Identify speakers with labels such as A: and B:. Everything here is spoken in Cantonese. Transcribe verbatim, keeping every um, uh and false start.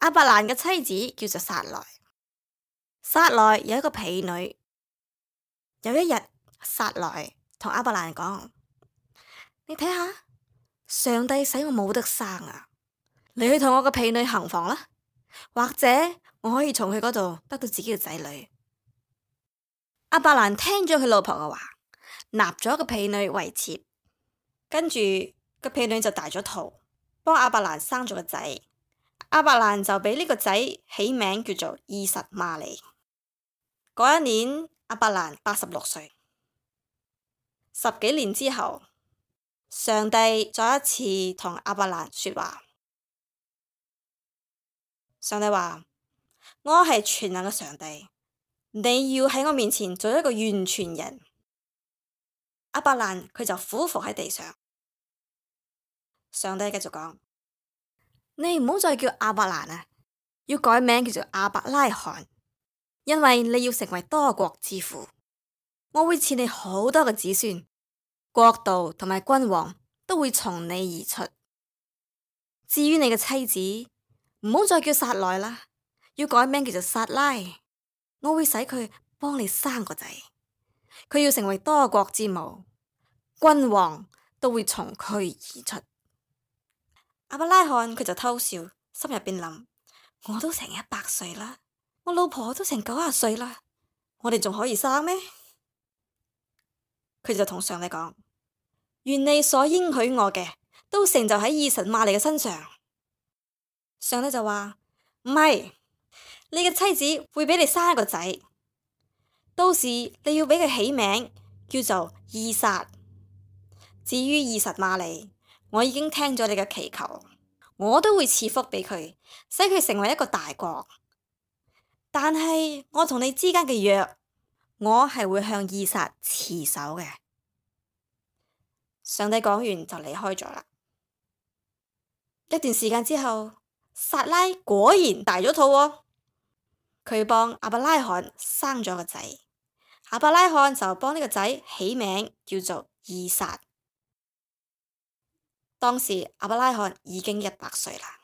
A: 亞伯蘭嘅妻子叫做撒萊，撒萊有一個婢女。有一日，撒萊同亞伯蘭講：你睇下，上帝使我冇得生啊！你去同我個婢女行房啦，或者我可以從佢嗰度得到自己嘅仔女。亞伯蘭聽咗佢老婆嘅話，納咗個婢女為妾，跟住個婢女就大咗肚，幫亞伯蘭生咗個仔。亞伯蘭就俾呢個仔起名叫做以實瑪利。嗰一年，亞伯蘭八十六歲。十幾年之後，上帝再一次同亞伯蘭說話。上帝話：我係全能嘅上帝，你要喺我面前做一個完全人。亞伯蘭佢就俯伏喺地上。上帝繼續講：你唔好再叫亞伯蘭啊，要改名叫做亞伯拉罕，因為你要成為多國之父。我會賜你好多嘅子孫，國度同埋君王都會從你而出。至於你嘅妻子，唔好再叫撒萊啦，要改名叫做撒拉。我會使佢幫你生個仔，佢要成為多國之母，君王都會從佢而出。亞伯拉罕佢就偷笑，心入邊諗：我都成一百歲啦，我老婆都成九十歲啦，我哋仲可以生咩？佢就同上帝講：願你所應許我嘅都成就喺以實瑪利嘅身上。上帝就話：唔係，你嘅妻子會俾你生一個仔，到時你要俾佢起名叫做以撒。至於以實瑪利，我已經聽咗你嘅祈求，我都會賜福俾佢，使佢成為一個大國。但係我同你之間嘅約，我係會向以撒持守嘅。上帝講完就離開咗啦。一段時間之後，撒拉果然大咗肚喎，佢幫亞伯拉罕生咗個仔，亞伯拉罕就幫呢個仔起名叫做以撒。當時亞伯拉罕已經一百歲啦。